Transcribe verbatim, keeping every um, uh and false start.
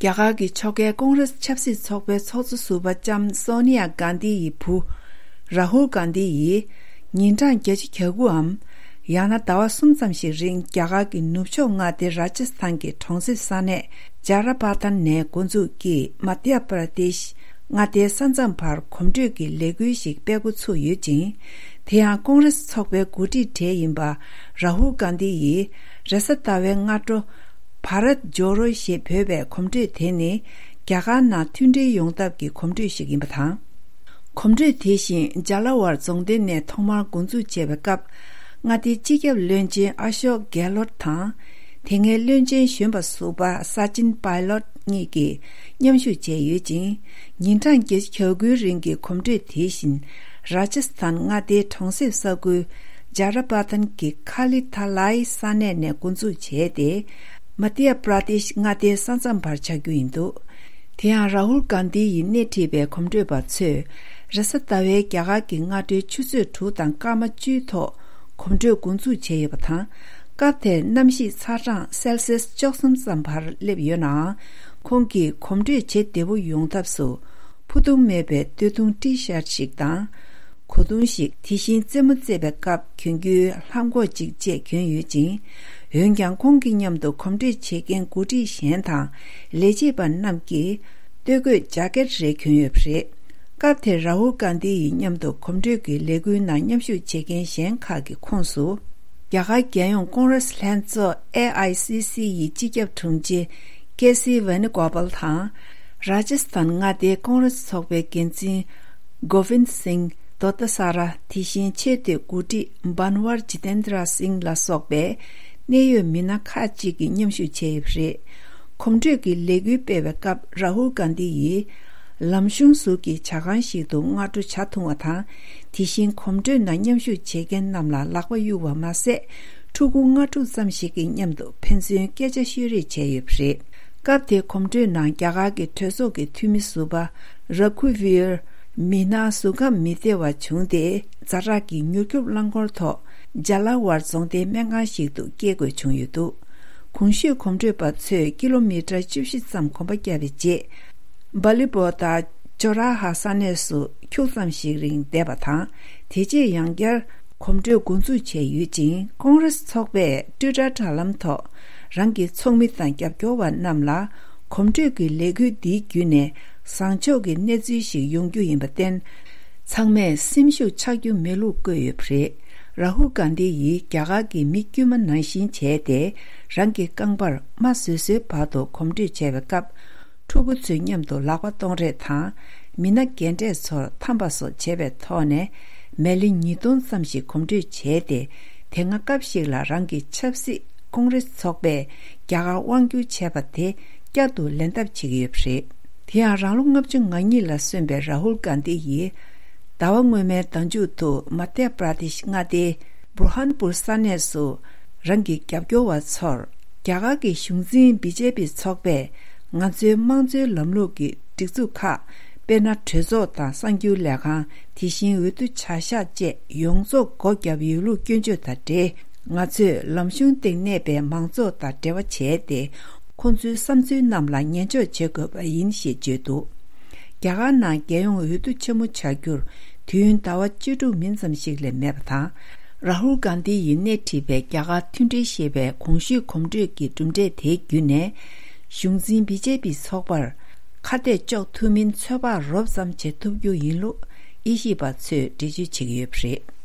རྒྱ་གར་གྱི་ཕྱོགས་འགལ་ཀོང་རེས་ཆབ་སྲིད་ཚོགས་པའི་ཚོགས་གཙོ་ཟུར་པ་ལྕམ་སོ་ནི་ཡ་གྷན་དྷི་ཡི་བུ་རཱ་ཧུལ་གྷན་དྷི་ཡིས་ཉིན་གྲངས་བརྒྱད་ཅུ་གྱ་དགུའམ། ཡང་ན་ཟླ་བ་གསུམ་ཙམ་ཞིག་རིང་རྒྱ་གར་གྱི་ནུབ་ཕྱོགས་མངའ་སྡེ་རཱ་ཇཱ་སི་ཐན་གྱི་གྲོང་གསེབ་ས་གནས་ཇཱ་ར་པ་ཐན་ནས་འགོ་འཛུགས་ཀྱིས་མ་དྷྱ་པྲ་དེཤ་མངའ་སྡེའི་ས་མཚམས་བར་གོམ་བགྲོད་ཀྱི་ལས་འགུལ་ཞིག་སྤེལ་འགོ་ཚུགས་ཡོད་ཅིང་། དེ་ཡང་ཀོང་རེས་ཚོགས་པའི་འགོ་ཁྲིད་གྲས་ཡིན་པ་རཱ་ཧུལ་གྷན་དྷི་ཡིས་རེས་གཟའ་ཟླ་བའི་སྔ་དྲོ། བྷ་རད་ཇོ་རོ་ཞེས་འབོད་པའི་གོམ་བགྲོད་དེ་ནི་རྒྱ་གར་ནང་མཐུན་སྒྲིལ་ཡོང་ཐབས་ཀྱི་གོམ་བགྲོད་ཞིག་ཡིན་པ་དང་། གོམ་བགྲོད་དེ་བཞིན་ཇཱ་ལ་ཝར་རྫོང་སྡེ་ནས་ཐོག་མར་འགོ་འཛུགས་བྱས་པའི་སྐབས། མངའ་སྡེའི་སྤྱི་ཁྱབ་བློན་ཆེན་ཨ་ཤོག་གྷེ་ལོད་དང་། དེ་སྔའི་བློན་ཆེན་གཞོན་པ་ཟུར་པ་ས་ཅིན་པཱི་ལོད་གཉིས་ཀྱིས་མཉམ་ཞུགས་བྱས་ཡོད་ཅིང་། ཉིན་གྲངས་བརྒྱད་ཅུ་གྱ་དགུའི་རིང་གི་གོམ་བགྲོད་དེ་བཞིན་རཱ་ཇཱ་སི་ཐན་མངའ་སྡེའི་གྲོང་གསེབ་ས་ཁུལ་ཇཱ་ར་པ་ཐན་གྱི་ཁ་ལི་ཐ་ལའི་ས་གནས་ནས་འགོ་འཛུགས་བྱས་ཏེ། མ་དྷྱ་པྲ་དེཤ་མངའ་སྡེའི་ས་མཚམས་བར་ཆགས་རྒྱུ་ཡིན་འདུག་དེ་ཡང་རཱ་ཧུལ་གྷན་དྷི་ཡིས་སྣེ་ཁྲིད་པའི་གོམ་བགྲོད་པ་ཚོས་རེས་གཟའ་ཟླ་བའི་རྒྱ་གར་གྱི་སྔ་དྲོའི་ཆུ་ཚོད་དྲུག་དང་སྐར་མ་བཅུའི་ཐོག་གོམ་བགྲོད་འགོ་འཛུགས་བྱས་ཡོད་པ་དང་། སྐབས་དེར་གནམ་གཤིས་ཚ་གྲང་སེལ་སིས་བཅུ་གསུམ་ཙམ་བར་སླེབས་ཡོད་ནའང་། ཁོང་གིས་གོམ་བགྲོད་བྱེད་བདེ་པོ་ཡོང་ཐབས་སུ། ཕུ་ཐུང་མེད་པའི་སྟོད་ཐུང་ཊི་ཤར་ཞིག་དང་། གོས་ཐུང་ཞིག་དེ་བཞིན་རྩེད་མོ་རྩེ་བའི་སྐབས་གྱོན་རྒྱུའི་ལྷམ་གོག་ཅིག་བཅས་གྱོན་ཡོད་ཅིང་། འོན་ཀྱང་ཁོང་གི་མཉམ་དུ་གོམ་བགྲོད་བྱེད་མཁན་འགོ་ཁྲིད་གཞན་དང་ལས་བྱེད་པ་རྣམས་ཀྱིས་སྟོད་གོས་ཇཱ་ཀེད་རེ་གྱོན་ཡོད་པ་རེད། སྐབས་དེར་རཱ་ཧུལ་གྷན་དྷི་ཡི་མཉམ་དུ་གོམ་བགྲོད་ཀྱི་ལས་འགུལ་ནང་མཉམ་ཞུགས་བྱེད་མཁན་གཞན་ཁག་གི་ཁོངས་སུ། རྒྱ་གར་རྒྱལ་ཡོངས་ཀོང་རེས་ལྷན་ཚོགས་ཨེ་ཨའི་སི་སི་ཡི་སྤྱི་ཁྱབ་དྲུང་ཆེ་ཀེ་སི་ཝེ་ནུ་གོ་པལ་དང་། རཱ་ཇཱ་སི་ཐན་མངའ་སྡེའི་ཀོང་རེས་ཚོགས་པའི་འགན་འཛིན་གོ་ཝིན་སིང་དོ་ཏ་ས་ར། དེ་བཞིན་ཆེས་མཐོའི་འགོ་ཁྲིད་བྷན་ཝར་ཇི་ཏེན་དྲ་སིང་ལ་སོགས་པའི་གནད་ཡོད་མི་སྣ་ཁག་ཅིག་གིས་མཉམ་ཞུགས་བྱས་ཡོད་པ་རེད། གོམ་བགྲོད་ཀྱི་ལས་འགུལ་སྤེལ་བའི་སྐབས་རཱ་ཧུལ་གྷན་དྷི་ཡིས། ལམ་གཞུང་ཟུར་གྱི་ཇ་ཁང་ཞིག་ཏུ་སྔ་དྲོ་ཇ་འཐུང་བ་དང་། དེ་བཞིན་གོམ་བགྲོད་ནང་མཉམ་ཞུགས་བྱེད་མཁན་རྣམས་ལ་ལག་པ་གཡུག་པ་མ་ཟད། ཕྲུ་གུ་ལྔ་དྲུག་ཙམ་ཞིག་གི་མཉམ་དུ་ཕན་ཚུན་སྐད་ཆ་ཤོད་རེས་བྱས་ཡོད་པ་རེད། སྐབས་དེའི་གོམ་བགྲོད་ནང་རྒྱ་གར་གྱི་གྲོས་ཚོགས་ཀྱི་འཐུས་མི་ཟུར་པ་ར་གུ་ཝིར། མི་སྣ་གཟུགས་ཁམས་མི་བདེ་བ་བྱུང་སྟེ། ཛ་དྲག་གི་མྱུར་སྐྱོབ་རླངས་འཁོར་ཐོག་ཇཱ་ལ་ཝར་རྫོང་སྡེའི་སྨན་ཁང་ཞིག་ཏུ་སྐྱེལ་དགོས་བྱུང་ཡོད་འདུག་གོང་ཞུས་གོམ་བགྲོད་པ་ཚོས་ཀི་ལོ་མི་ཊར་བཅུ་བཞི་ཙམ་གོམ་པ་བརྒྱབ་པའི་རྗེས། སྦ་ལི་པོ་དང་ཇོ་ར་ཧ་ས་གནས་སུ་ཁྱུག་ཙམ་ཞིག་རིང་བསྡད་པ་དང་། དེ་རྗེས་ཡང་བསྐྱར་གོམ་བགྲོད་འགོ་འཛུགས་བྱས་ཡོད་ཅིང་། ཀོང་རེས་ཚོགས་པས་ཊུའི་ཊར་དྲ་ལམ་ཐོག་རང་གི་ཚོགས་མི་དང་རྒྱབ་སྐྱོར་བ་རྣམས་ལ། གོམ་བགྲོད་ཀྱི་ལས་འགུལ་འདིའི་བརྒྱུད་ནས་བཟང་ཕྱོགས་ཀྱི་གནས་ཚུལ་ཞིག་ཡོང་རྒྱུ་ཡིན་པར་བརྟེན། ཚང་མས་སེམས་ཤུགས་ཆག་རྒྱུ་མེད་ལུགས་བཀོད་ཡོད་པ་རེད། རཱ་ཧུལ་གྷན་དྷི་ཡིས་རྒྱ་གར་གྱི་མི་དཀྱུས་མ་ནང་བཞིན་བྱས་ཏེ། རང་གི་རྐང་པར་རྨ་བཟོས་བཟོས་བར་དུ་གོམ་བགྲོད་བྱས་པའི་སྐབས། ཕྲུ་གུ་ཚོའི་མཉམ་དུ་ལག་པ་གཏོང་རེས་དང་། མི་སྣ་རྒན་གྲས་ཚོར་འཐམ་པ་སོགས་བྱས་པའི་ཐོག་ནས། མལ་ལེ་ཉིས་སྟོང་ཙམ་ཞིག་གོམ་བགྲོད་བྱས་ཏེ། དེ་སྔ་སྐབས་ཤིག་ལ་རང་གི་ཆབ་སྲིད་ཀོང་རེས་ཚོགས་པས་རྒྱ་གར་དབང་བསྒྱུར་བྱས་པ་དེ་བསྐྱར་དུ་ལེན་ཐབས་བྱེད་ཀྱི་ཡོད་པ་རེད། དེ་ཡང་རང་ལོ་ལྔ་བཅུ་ང་གཉིས་ལ་སོན་པའི་རཱ་ཧུལ་གྷན་དྷི་ཡིས། ཟླ་བ་སྔོན་མའི་ཟླ་མཇུག་ཏུ་མ་དྷྱ་པྲ་དེཤ་མངའ་སྡེའི་བུར་ཧན་པུར་ས་གནས་སུ། རང་གི་རྒྱབ་སྐྱོར་བ་ཚོར། རྒྱ་གར་གྱི་གཞུང་འཛིན་བི་ཇེ་པི་ཚོགས་པས། ང་ཚོའི་དམངས་གཙོའི་ལམ་ལུགས་ཀྱི་སྒྲིག་འཛུགས་ཁག་དཔེར་ན། གྲོས་ཚོགས་དང་གསར་འགྱུར་ལས་ཁང་། དེ་བཞིན་འོས་བསྡུ་བྱ་གཞག་བཅས་ཡོངས་རྫོགས་སྒོ་བརྒྱབ་ཡོད་ལུགས་སྐྱོན་བརྗོད་དང་འབྲེལ། ང་ཚོས་ལམ་གཞུང་སྟེང་གནས་པའི་མང་ཚོགས་དང་འབྲེལ་བ་བྱས་ཏེ། ཁོང་ཚོའི་བསམ་ཚུལ་རྣམས་ལ་ཉན་འཇོག་བྱེད་དགོས་པ་ཡིན་ཞེས་བརྗོད་འདུག་རྒྱ་གར་ནང་རྒྱལ་ཡོངས་འོས་བསྡུ་ཆེན་མོ་བྱ་རྒྱུར་དུས་ཡུན་ཟླ་བ་བཅུ་དྲུག་མིན་ཙམ་ཞིག་ལས་མེད་པ་དང་། རཱ་ཧུལ་གྷན་དྷི་ཡིས་སྣེ་ཁྲིད་པའི་རྒྱ་གར་མཐུན་སྒྲིལ་ཞེས་པའི་གོང་ཞུས་གོམ་བགྲོད་ཀྱི་གྲུབ་འབྲས་དེའི་བརྒྱུད་ནས། གཞུང་འཛིན་བི་ཇེ་པི་ཚོགས་པར་ཁ་གཏད་གཅོག་ཐུབ་མིན་ཚོད་དཔག་རོབ་ཙམ་བྱེད་ཐུབ་རྒྱུ་ཡིན་ལུགས་དབྱེ་ཞིབ་པ་ཚོས་འགྲེལ་བརྗོད་བྱེད་ཀྱི་ཡོད་པ་རེད།